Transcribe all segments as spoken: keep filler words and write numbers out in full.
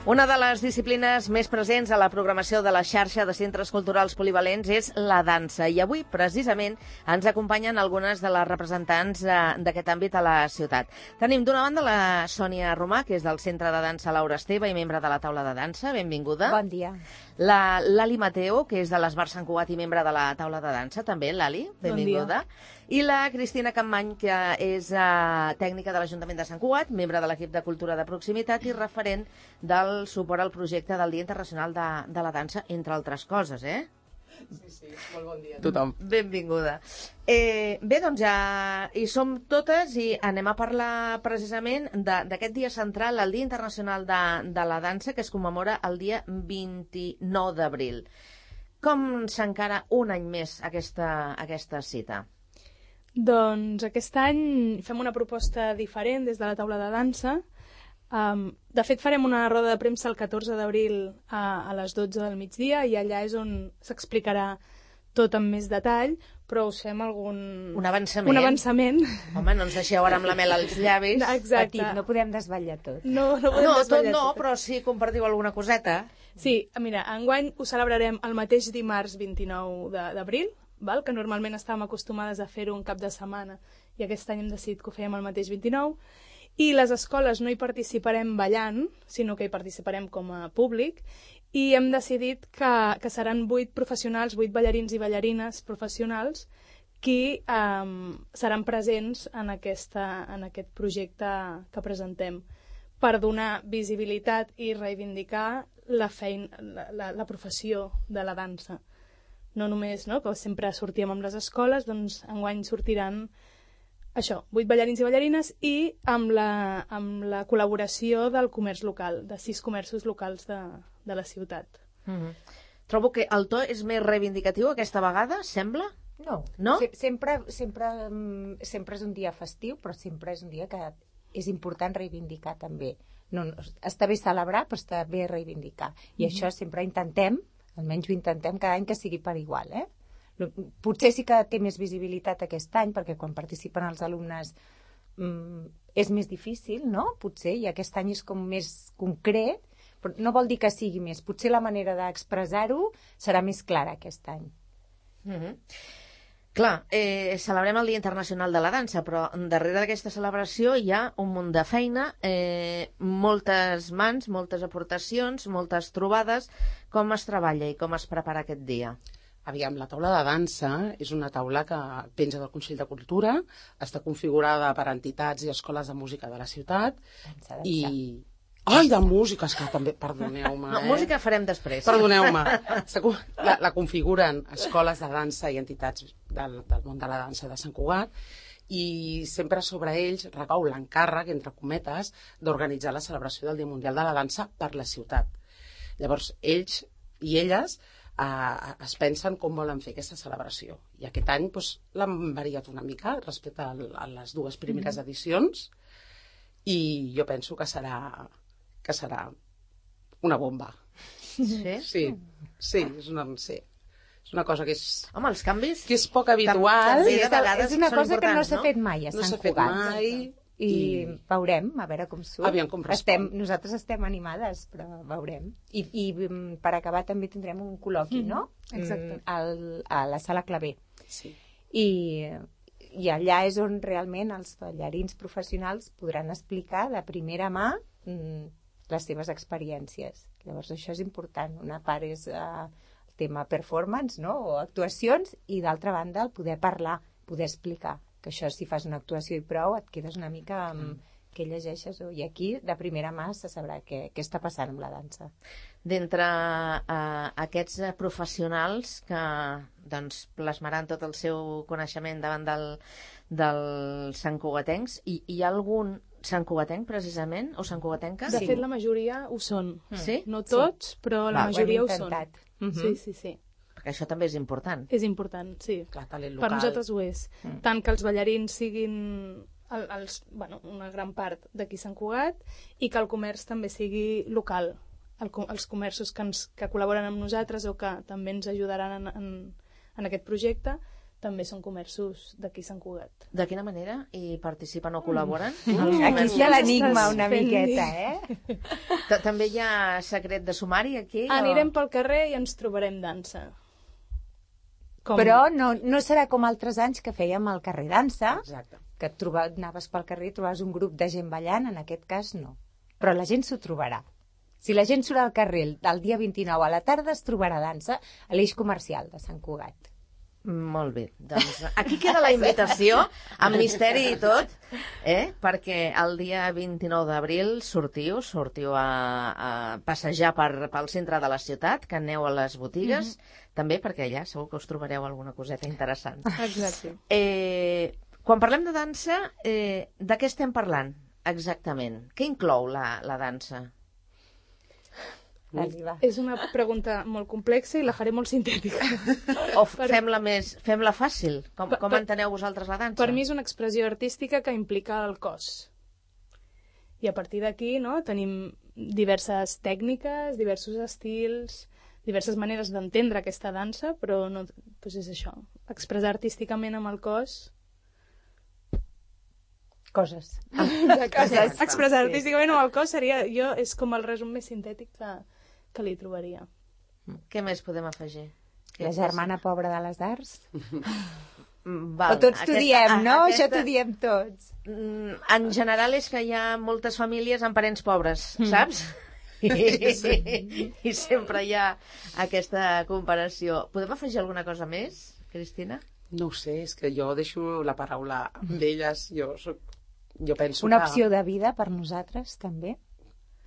Una de les disciplines més presents a la programació de la xarxa de centres culturals polivalents és la dansa. I avui, precisament, ens acompanyen algunes de les representants d'aquest àmbit a la ciutat. Tenim d'una banda la Sònia Romà, que és del Centre de Dansa Laura Esteve i membre de la taula de dansa. Benvinguda. Bon dia. La Lali Mateo, que és de l'Esbar Sant Cugat i membre de la taula de dansa. També, Lali, benvinguda. Bon dia. I la Cristina Campmany, que és uh, tècnica de l'Ajuntament de Sant Cugat, membre de l'equip de Cultura de Proximitat i referent del suport al projecte del Dia Internacional de, de la Dansa, entre altres coses, eh? Sí, sí, molt bon dia a tothom. Benvinguda. Eh, bé, doncs ja hi som totes i anem a parlar precisament d'aquest dia central, el Dia Internacional de, de la Dansa, que es commemora el dia vint-i-nou d'abril. Com s'encara un any més aquesta, aquesta cita? Doncs aquest any fem una proposta diferent des de la taula de dansa. Um, de fet, farem una roda de premsa el catorze d'abril a, a les dotze del migdia i allà és on s'explicarà tot amb més detall, però us fem algun... Un avançament. Un avançament. Home, no ens deixeu ara amb la mel als llavis. Exacte. Petit, no podem desvetllar tot. No, no podem no desvetllar tot no, tot. però sí compartiu alguna coseta. Sí, mira, enguany ho celebrarem el mateix dimarts vint-i-nou d'abril, val? Que normalment estàvem acostumades a fer-ho un cap de setmana i aquest any hem decidit que ho fèiem el mateix vint-i-nou. I les escoles no hi participarem ballant, sinó que hi participarem com a públic, i hem decidit que, que seran vuit professionals, vuit ballarins i ballarines professionals qui um, seran presents en, aquesta, en aquest projecte que presentem per donar visibilitat i reivindicar la, feina, la, la, la professió de la dansa. No només, no?, que sempre sortíem amb les escoles, doncs enguany sortiran això, vuit ballarins i ballarines i amb la, amb la col·laboració del comerç local, de sis comerços locals de, de la ciutat. Mm-hmm. Trobo que el to és més reivindicatiu aquesta vegada, sembla? No, no? Se sempre, sempre, sempre és un dia festiu, però sempre és un dia que és important reivindicar també. No, no, està bé celebrar, però està bé reivindicar. I mm-hmm. això sempre intentem, almenys ho intentem cada any que sigui per igual, eh? Potser sí que té més visibilitat aquest any, perquè quan participen els alumnes mm, és més difícil, no? Potser, i aquest any és com més concret, però no vol dir que sigui més. Potser la manera d'expressar-ho serà més clara aquest any. Mm-hmm. Clar, eh, celebrem el Dia Internacional de la Dansa, però darrere d'aquesta celebració hi ha un munt de feina, eh, moltes mans, moltes aportacions, moltes trobades. Com es treballa i com es prepara aquest dia? Aviam, la taula de dansa és una taula que penja del Consell de Cultura, està configurada per entitats i escoles de música de la ciutat. Dansa, dansa. I... Ai, de música, és que també, perdoneu-me. No, eh? música farem després. Perdoneu-me. La, la configuren escoles de dansa i entitats del, del món de la dansa de Sant Cugat i sempre sobre ells recau l'encàrrec, entre cometes, d'organitzar la celebració del Dia Mundial de la Dansa per la ciutat. Llavors, ells i elles Uh, es pensen com volen fer aquesta celebració. I aquest any doncs, l'han variat una mica respecte a, a les dues primeres mm-hmm. edicions i jo penso que serà, que serà una bomba. Sí? Sí, sí, és una, sí. És una cosa que és... Home, els canvis... Que és poc habitual. També, Sí, de vegades és una són cosa que no s'ha no? fet mai a No Sant s'ha fet Cugat. mai. I, I veurem, a veure com surt. Aviam com respon. estem, nosaltres estem animades, però veurem. I, i per acabar també tindrem un col·loqui, mm, no? Exacte. Al, a la sala Clavé. Sí. I, I allà és on realment els ballarins professionals podran explicar de primera mà mm, les seves experiències. Llavors això és important. Una part és eh, el tema performance, no?, o actuacions, i d'altra banda el poder parlar, poder explicar. Que això, si fas una actuació i prou, et quedes una mica amb mm. què llegeixes. I aquí, de primera mà, se sabrà què, què està passant amb la dansa. D'entre uh, aquests professionals que doncs, plasmaran tot el seu coneixement davant del, del santcugatencs, hi, hi ha algun santcugatenc, precisament, o santcugatenca? De fet, la majoria ho són. Mm. Sí? No tots, sí. però la Va, majoria ho, ho són. Mm-hmm. Sí, sí, sí. Perquè això també és important. És important, sí. Clar, talent local. Per nosaltres ho és. Mm. Tant que els ballarins siguin el, els, bueno, una gran part d'aquí Sant Cugat i que el comerç també sigui local. El, els comerços que, ens, que col·laboren amb nosaltres o que també ens ajudaran en, en, en aquest projecte també són comerços d'aquí Sant Cugat. De quina manera? I participen o col·laboren? Mm. Aquí està l'enigma una miqueta, eh? També hi ha secret de sumari aquí? Anirem pel carrer i ens trobarem dansa. Com... Però no, no serà com altres anys que fèiem al carrer dansa, Exacte. que et troba, anaves pel carrer i trobaves un grup de gent ballant, en aquest cas no. Però la gent s'ho trobarà. Si la gent surt al carrer el dia vint-i-nou a la tarda, es trobarà dansa a l'eix comercial de Sant Cugat. Molt bé, doncs aquí queda la invitació, amb misteri i tot, eh? Perquè el dia vint-i-nou d'abril sortiu, sortiu a, a passejar per, pel centre de la ciutat, que aneu a les botigues, mm-hmm. també perquè allà segur que us trobareu alguna coseta interessant. Exacte. Eh, quan parlem de dansa, eh, de què estem parlant exactament? Què inclou la, la dansa? És una pregunta molt complexa i la faré molt sintètica. O fem-la més, fem-la fàcil. Com, com per, enteneu vosaltres la dansa? Per mi és una expressió artística que implica el cos. I a partir d'aquí, no, tenim diverses tècniques, diversos estils, diverses maneres d'entendre aquesta dansa, però no, doncs és això, expressar artísticament amb el cos... Coses. Coses. Expressar artísticament amb el cos seria, jo, és com el resum més sintètic que, que li trobaria. Què més podem afegir? La germana pobra de les arts? Val, o tots t'ho diem, no? Aquesta... Això t'ho diem tots. En general és que hi ha moltes famílies amb parents pobres, mm. saps? I, sí. I sempre hi ha aquesta comparació. Podem afegir alguna cosa més, Cristina? No ho sé, és que jo deixo la paraula amb elles. Jo, soc, jo penso Una que... opció de vida per nosaltres, també?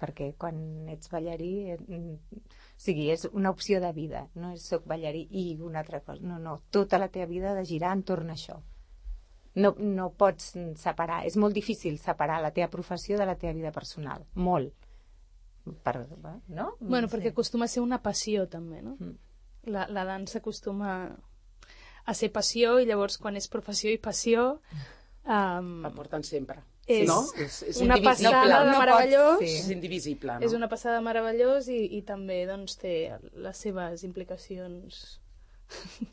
Perquè quan ets ballarí... O sigui, és una opció de vida, no és soc ballarí i una altra cosa. No, no, tota la teva vida ha de girar entorn a això. No, no pots separar, és molt difícil separar la teva professió de la teva vida personal. Molt. Per, no? Bueno, no perquè sé. Acostuma a ser una passió, també, no? Mm. La, la dansa acostuma a ser passió i llavors quan és professió i passió... Um, la porten sempre. És, no? és, és una passada de no meravellós. Pot, sí. És indivisible, no? És una passada meravellós i, i també doncs, té les seves implicacions.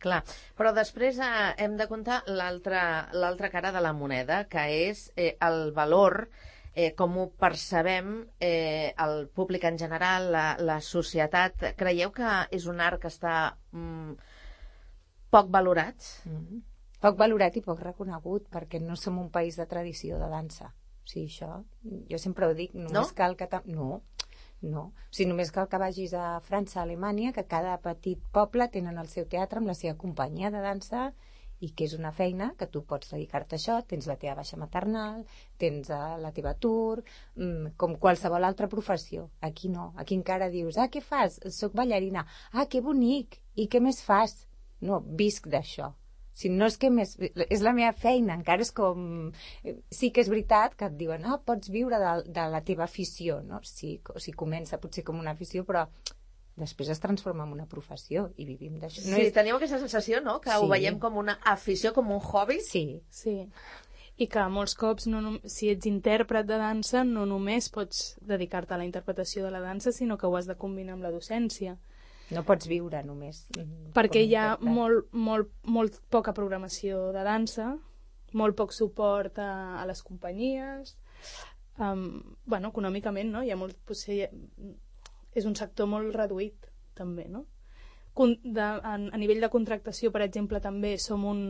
Clar, però després eh, hem de comptar l'altra cara de la moneda, que és eh, el valor, eh, com ho percebem eh, el públic en general, la, la societat. Creieu que és un art que està mm, poc valorat? Mm-hmm. Poc valorat i poc reconegut, perquè no som un país de tradició de dansa. O sigui, això, jo sempre ho dic, només no? cal que... No, no. O sigui, només cal que vagis a França, a Alemanya, que cada petit poble tenen el seu teatre amb la seva companyia de dansa i que és una feina que tu pots dedicar-te a això, tens la teva baixa maternal, tens la teva tour, com qualsevol altra professió. Aquí no, aquí encara dius, ah, què fas? Soc ballarina. Ah, que bonic! I què més fas? No, visc d'això. Si no és que més... És la meva feina, encara és com... Sí que és veritat que et diuen, ah, pots viure de, de la teva afició, no? Sí, o sigui, comença potser com una afició, però després es transforma en una professió i vivim d'això. No sí, és... tenim aquesta sensació, no?, que sí. Ho veiem com una afició, com un hobby. Sí. Sí. I que molts cops, no, si ets intèrpret de dansa, no només pots dedicar-te a la interpretació de la dansa, sinó que ho has de combinar amb la docència. No pots viure només. Perquè hi ha molt, molt, molt poca programació de dansa, molt poc suport a, a les companyies. Um, bueno, econòmicament, no? Hi ha molt, potser, és un sector molt reduït, també, no? Con, de, a, a nivell de contractació, per exemple, també som un,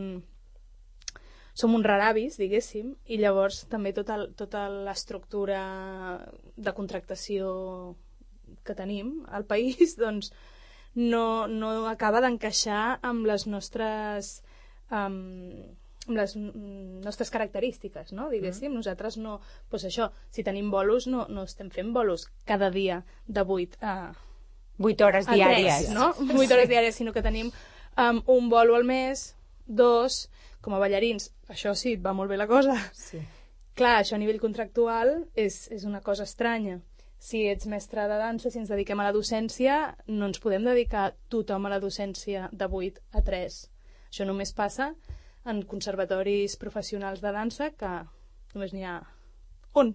som un raravis, diguéssim, i llavors també tota, tota l'estructura de contractació que tenim al país, doncs, no, no acaba d'encaixar amb les nostres um, amb les nostres característiques, no? Diguéssim, mm. nosaltres no, doncs això, si tenim bolos no, no estem fent bolos cada dia de vuit a vuit hores diàries, tres, no? vuit hores diàries, sinó que tenim um, un bolo al mes, dos, com a ballarins, això sí, et va molt bé la cosa. Sí. Clar, això a nivell contractual és, és una cosa estranya. Si ets mestre de dansa, si ens dediquem a la docència, no ens podem dedicar tothom a la docència de vuit a tres. Això només passa en conservatoris professionals de dansa, que només n'hi ha un.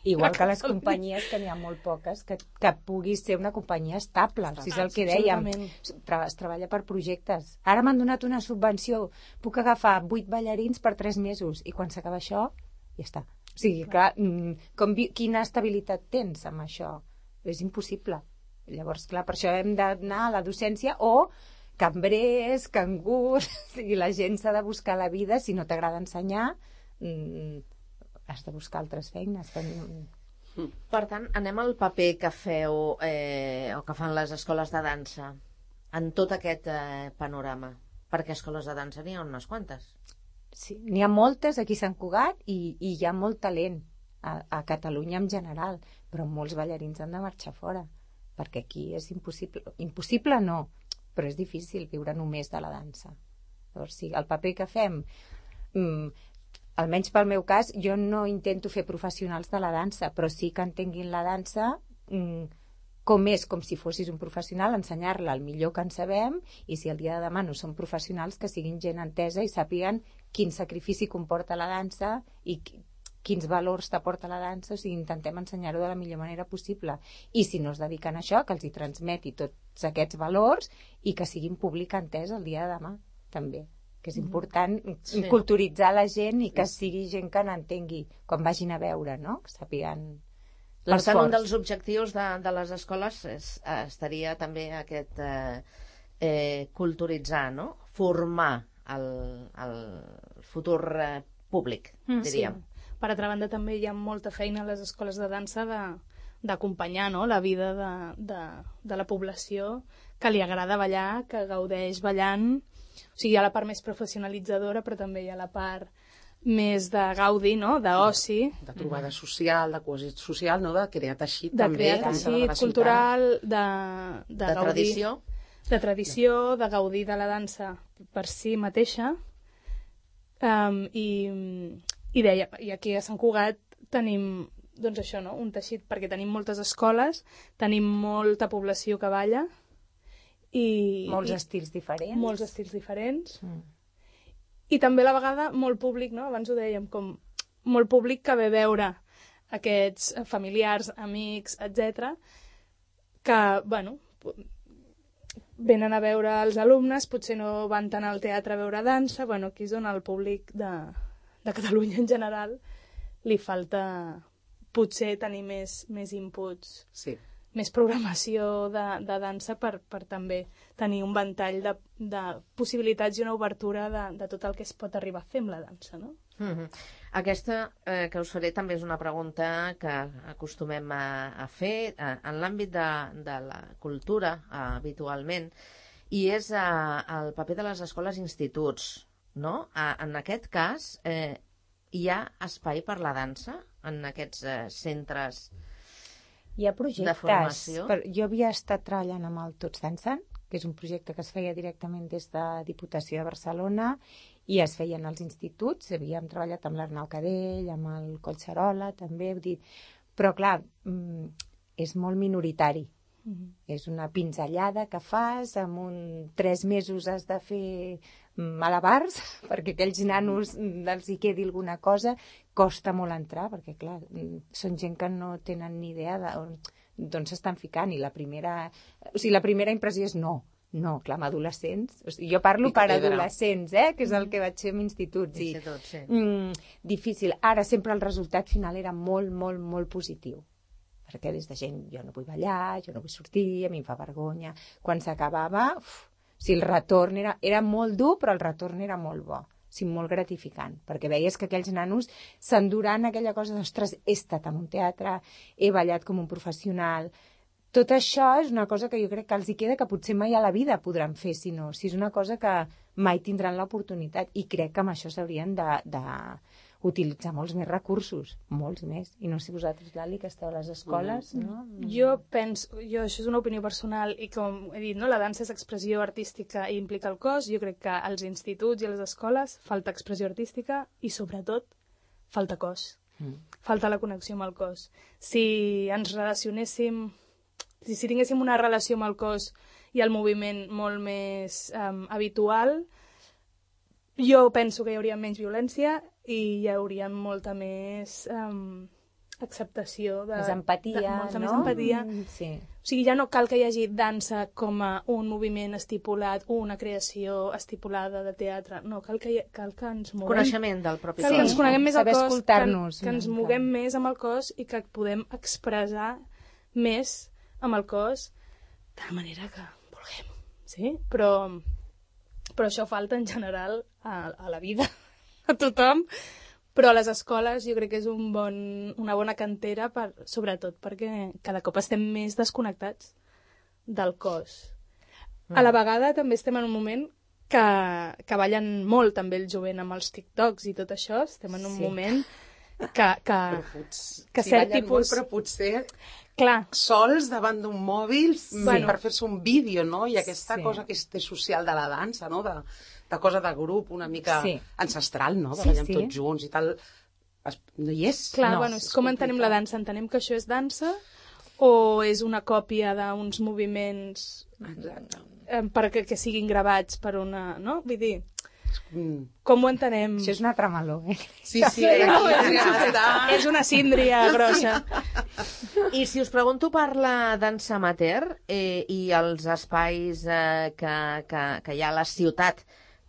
Igual que les companyies, que n'hi ha molt poques, que, que pugui ser una companyia estable. Si és el que dèiem, tra es treballa per projectes. Ara m'han donat una subvenció, puc agafar vuit ballarins per tres mesos, i quan s'acaba això, ja està. O sigui, clar, com, quina estabilitat tens amb això? És impossible. Llavors, clar, per això hem d'anar a la docència o cambrers, cangurs, i la gent s'ha de buscar la vida. Si no t'agrada ensenyar, mm, has de buscar altres feines. Per tant, anem al paper que feu eh, o que fan les escoles de dansa en tot aquest eh, panorama, perquè escoles de dansa n'hi ha unes quantes. Sí, n'hi ha moltes aquí a Sant Cugat i, i hi ha molt talent a, a Catalunya en general, però molts ballarins han de marxar fora, perquè aquí és impossible. Impossible no, però és difícil viure només de la dansa. Llavors, sí, el paper que fem, mm, almenys pel meu cas, jo no intento fer professionals de la dansa, però sí que entenguin la dansa mm, com és, com si fossis un professional, ensenyar-la el millor que en sabem, i si el dia de demà no són professionals, que siguin gent entesa i sàpiguen quin sacrifici comporta la dansa i quins valors t'aporta la dansa. O sigui, intentem ensenyar-ho de la millor manera possible, i si no es dediquen a això, que els hi transmeti tots aquests valors i que siguin públic entès el dia de demà també, que és important sí. culturitzar la gent i que sigui gent que n'entengui quan vagin a veure, no? Que sàpiguen l'esforç. Per tant, un dels objectius de, de les escoles és, estaria també aquest eh, eh, culturitzar, no? Formar el, el futur eh, públic, diríem. Sí. Per altra banda, també hi ha molta feina a les escoles de dansa d'acompanyar, no?, la vida de, de, de la població que li agrada ballar, que gaudeix ballant. O sigui, hi ha la part més professionalitzadora, però també hi ha la part més de gaudi, no?, d'oci. De, de trobada social, de cohesió social, no?, de crear teixit de també. De crear teixit cultural, de, de, de gaudir, tradició. De tradició, de gaudir de la dansa per si mateixa. Um, i... I deia, i aquí a Sant Cugat tenim, doncs això, no?, un teixit, perquè tenim moltes escoles, tenim molta població que balla, i... Molts i, estils diferents. Molts estils diferents. Mm. I també a la vegada molt públic, no?, abans ho dèiem, com molt públic que ve veure aquests familiars, amics, etcètera, que, bueno, venen a veure els alumnes, potser no van tant al teatre a veure dansa, bueno, aquí és on el públic de... de Catalunya en general, li falta potser tenir més, més inputs, sí. més programació de, de dansa per, per també tenir un ventall de, de possibilitats i una obertura de, de tot el que es pot arribar a fer amb la dansa, no? Mm-hmm. Aquesta eh, que us faré també és una pregunta que acostumem a, a fer eh, en l'àmbit de, de la cultura eh, habitualment, i és eh, el paper de les escoles i instituts. No? En aquest cas, eh, hi ha espai per la dansa en aquests eh, centres hi ha projectes, de formació? Per, jo havia estat treballant amb el Tots Dansen, que és un projecte que es feia directament des de Diputació de Barcelona i es feien als instituts. Havíem treballat amb l'Arnau Cadell, amb el Collserola, també, dir... però clar, és molt minoritari. Mm-hmm. És una pinzellada que fas, en un tres mesos has de fer malabars perquè aquells nanos els hi quedi alguna cosa. Costa molt entrar perquè clar, són gent que no tenen ni idea d'on s'estan ficant, i la primera, o sigui, la primera impressió és no, no, clar, amb adolescents, o sigui, jo parlo per adolescents, eh, que és el que vaig fer en instituts, i, sí. mm, difícil. Ara sempre el resultat final era molt, molt, molt positiu, perquè des de gent, jo no vull ballar, jo no vull sortir, a mi em fa vergonya. Quan s'acabava, si el retorn era, era molt dur, però el retorn era molt bo, o sigui, molt gratificant, perquè veies que aquells nanos s'enduran aquella cosa d'ostres, he estat en un teatre, he ballat com un professional. Tot això és una cosa que jo crec que els hi queda, que potser mai a la vida podran fer, si no, si és una cosa que mai tindran l'oportunitat, i crec que amb això s'haurien de... de utilitzar molts més recursos, molts més. I no sé vosaltres, Lali, que esteu a les escoles, mm. no? Jo penso, jo, això és una opinió personal, i com he dit, no, la dansa és expressió artística i implica el cos. Jo crec que als instituts i a les escoles falta expressió artística i, sobretot, falta cos. Mm. Falta la connexió amb el cos. Si ens relacionéssim, si, si tinguéssim una relació amb el cos i el moviment molt més um, habitual, jo penso que hi hauria menys violència i hi hauria molta més um, acceptació. De, més empatia, de, molta no? més empatia. Mm, sí. O sigui, ja no cal que hi hagi dansa com a un moviment estipulat, una creació estipulada de teatre. No, cal que, hi, cal que ens moguem. Coneixement del propi Cal cos. que ens coneguem més al Saber cos, que, escoltar-nos. que ens moguem més amb el cos i que podem expressar més amb el cos de la manera que vulguem. Sí? Però, però això falta en general a, a la vida, a tothom. Però a les escoles jo crec que és un bon, una bona cantera, per, sobretot perquè cada cop estem més desconnectats del cos. Mm. A la vegada també estem en un moment que, que ballen molt també el jovent amb els TikToks i tot això. Estem en un Sí. moment que, que, Pots, que sí, cert ballen tipus... molt, però potser Clar, sols davant d'un mòbil sí. Bueno. per fer-se un vídeo, no? I aquesta Sí. cosa que és social de la dansa, no? De, de cosa de grup una mica Sí. ancestral, no? De Sí, ballar sí. tots junts i tal. Es, no hi és. clar, No, bueno, és és com entenem la complicat. dansa? Entenem que això és dansa o és una còpia d'uns moviments Exacte. eh, perquè que siguin gravats per una... No? Vull dir, Mm. com ho entenem? Això és una tramaló, eh? Sí, sí, aquí ja està. És una síndria grossa. I si us pregunto per la dansa amateur eh, i els espais eh, que, que, que hi ha a la ciutat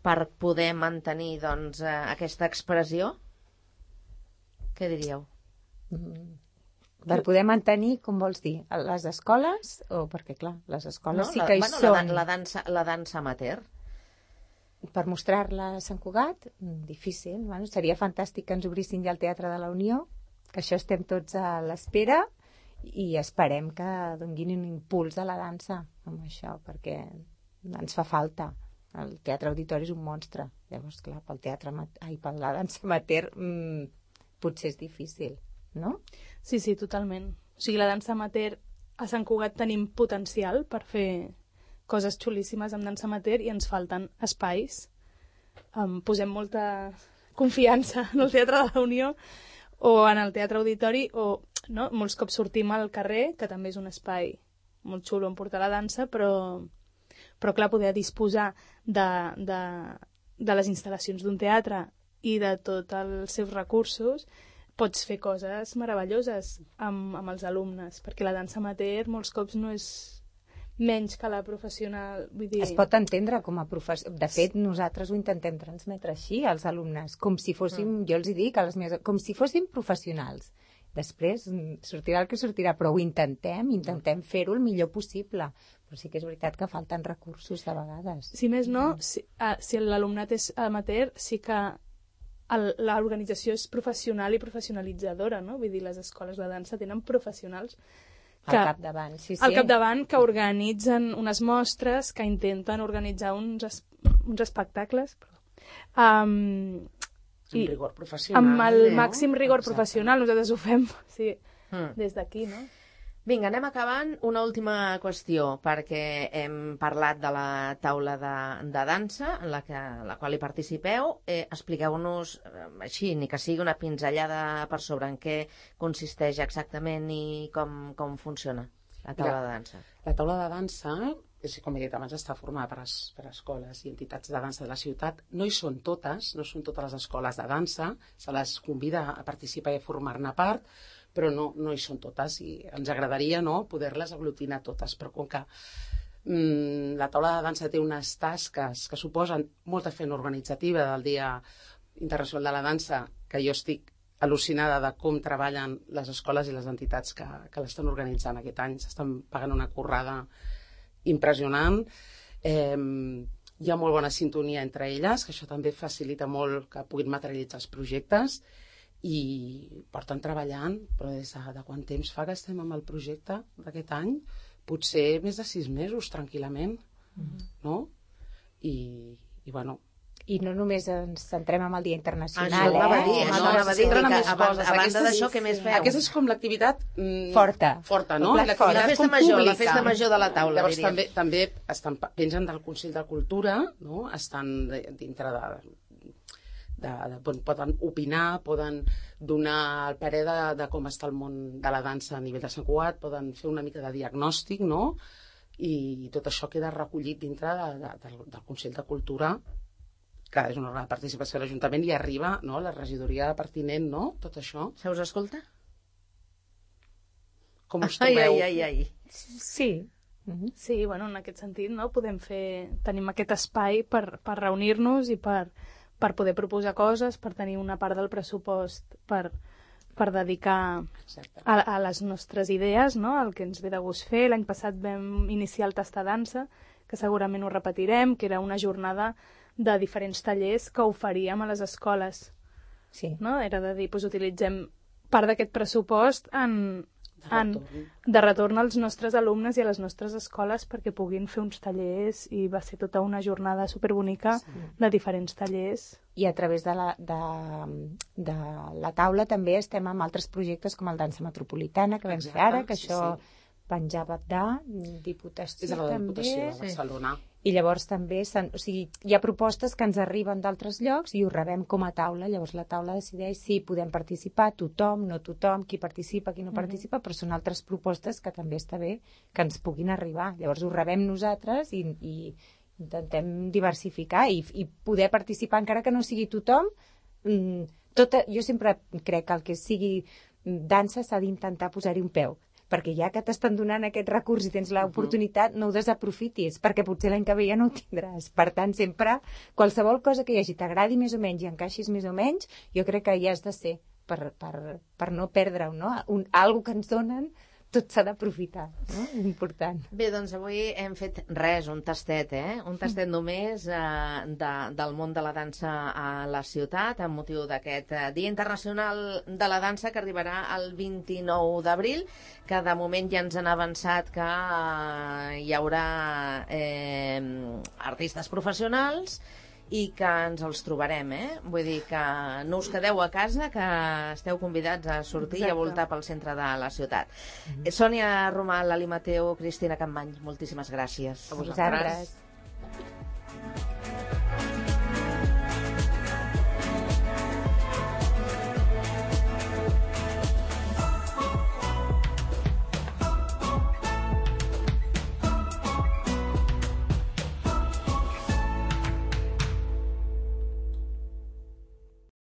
per poder mantenir doncs, eh, aquesta expressió, què diríeu? Per poder mantenir, com vols dir, a les escoles? O perquè, clar, les escoles sí la, que hi bueno, són. la, dan- la, dansa, la dansa amateur. Per mostrar-la a Sant Cugat, mm, difícil. Bueno, seria fantàstic que ens obrissin ja el Teatre de la Unió, que això estem tots a l'espera i esperem que donguin un impuls a la dansa amb això, perquè ens fa falta. El Teatre Auditori és un monstre. Llavors, clar, pel teatre, ama- ai, per la dansa amateur mmm, potser és difícil, no? Sí, sí, totalment. O sigui, la dansa amateur a Sant Cugat tenim potencial per fer coses xulíssimes amb dansa amateur i ens falten espais. Um, posem molta confiança en el Teatre de la Unió o en el Teatre Auditori o no? Molts cops sortim al carrer, que també és un espai molt xulo on portar la dansa, però, però clar, poder disposar de, de, de les instal·lacions d'un teatre i de tots els seus recursos, pots fer coses meravelloses amb, amb els alumnes, perquè la dansa amateur molts cops no és menys que la professional. Vull dir... Es pot entendre com a professor. De fet, nosaltres ho intentem transmetre així als alumnes, com si fóssim, jo els hi dic, a les meves, com si fóssim professionals. Després mm, sortirà el que sortirà, però ho intentem, intentem fer-ho el millor possible. Però sí que és veritat que falten recursos de vegades. Si més no, si, ah, si l'alumnat és amateur, sí que el, l'organització és professional i professionalitzadora, no? Vull dir, les escoles de dansa tenen professionals que, Al capdavant, sí, sí. al capdavant que organitzen unes mostres, que intenten organitzar uns, es, uns espectacles perdó, um, Amb i rigor professional. amb el no? màxim rigor Exacte. professional. Nosaltres ho fem sí, Mm. des d'aquí, no? Vinga, anem acabant. Una última qüestió, perquè hem parlat de la taula de, de dansa, en la, que, en la qual hi participeu. Eh, expliqueu-nos, eh, així, ni que sigui una pinzellada per sobre, en què consisteix exactament i com, com funciona la taula Ja. de dansa. La taula de dansa, és, com he dit abans, està formada per, es, per escoles i entitats de dansa de la ciutat. No hi són totes, no són totes les escoles de dansa, se les convida a participar i a formar-ne part, però no, no hi són totes i ens agradaria no, poder-les aglutinar totes, però com que mm, la taula de dansa té unes tasques que suposen molta feina organitzativa del Dia Internacional de la Dansa, que jo estic al·lucinada de com treballen les escoles i les entitats que, que l'estan organitzant aquest any. S'estan pagant una currada impressionant. Eh, hi ha molt bona sintonia entre elles, que això també facilita molt que puguin materialitzar els projectes, i porten treballant, però des de, de quant temps fa que estem amb el projecte d'aquest any? Potser més de sis mesos, tranquil·lament, mm-hmm. no? I, i bueno... I no només ens centrem en el Dia Internacional, Això ho anava a eh? dir, No, això no, anava a dir, s'entren que amb més a banda, coses. a banda Aquesta d'això, és- què més feu? Aquesta és com l'activitat... Mm, Forta. Forta, no? El plat fort. La L'activitat festa com major, la pública. festa major de la taula, Llavors diríem. també, també estan, pengen del Consell de Cultura, no? Estan de- dintre de, de, de, poden opinar, poden donar el parer de, de com està el món de la dansa a nivell de Sant Cugat, poden fer una mica de diagnòstic, no? I tot això queda recollit dintre de, de, del, del Consell de Cultura, que és una gran participació de l'Ajuntament, i arriba no, la regidoria pertinent, no? Tot això. Se us escolta? Com us Ai, trobeu? ai, ai, ai. Sí. Mm-hmm. Sí, bueno, en aquest sentit, no? Podem fer... Tenim aquest espai per, per reunir-nos i per, per poder proposar coses, per tenir una part del pressupost per, per dedicar a, a les nostres idees, no? El que ens ve de gust fer. L'any passat vam iniciar el Tastadansa, que segurament ho repetirem, que era una jornada de diferents tallers que oferíem a les escoles. Sí. No? Era de dir, doncs utilitzem part d'aquest pressupost en, De en, retorn. de retorn als nostres alumnes i a les nostres escoles perquè puguin fer uns tallers, i va ser tota una jornada superbonica sí. de diferents tallers. I a través de la, de, de la taula també estem amb altres projectes com el Dansa Metropolitana, que vam Exacte, fer ara, que sí, això sí. penjava de Diputació És a la també. Diputació de Barcelona. I llavors també o sigui, hi ha propostes que ens arriben d'altres llocs i ho rebem com a taula. Llavors la taula decideix si podem participar, tothom, no tothom, qui participa, qui no mm-hmm. participa, però són altres propostes que també està bé que ens puguin arribar. Llavors ho rebem nosaltres i, i intentem diversificar i, i poder participar encara que no sigui tothom. Tot, jo sempre crec que el que sigui dansa s'ha d'intentar posar-hi un peu, perquè ja que t'estan donant aquest recurs i tens l'oportunitat, no ho desaprofitis, perquè potser l'any que ve ja no ho tindràs. Per tant, sempre, qualsevol cosa que hi hagi t'agradi més o menys i encaixis més o menys, jo crec que hi has de ser, per, per, per no perdre-ho, no? Un, algo que ens donen, tot s'ha d'aprofitar, no? És important. Bé, doncs avui hem fet res, un tastet, eh? Un tastet només eh, de, del món de la dansa a la ciutat, amb motiu d'aquest eh, Dia Internacional de la Dansa, que arribarà el vint-i-nou d'abril, que de moment ja ens han avançat que eh, hi haurà eh, artistes professionals i que ens els trobarem, eh? Vull dir que no us quedeu a casa, que esteu convidats a sortir Exacte. I a voltar pel centre de la ciutat. Mm-hmm. Sònia Romà, Lali Mateu, Cristina Campmany, moltíssimes gràcies. A vosaltres.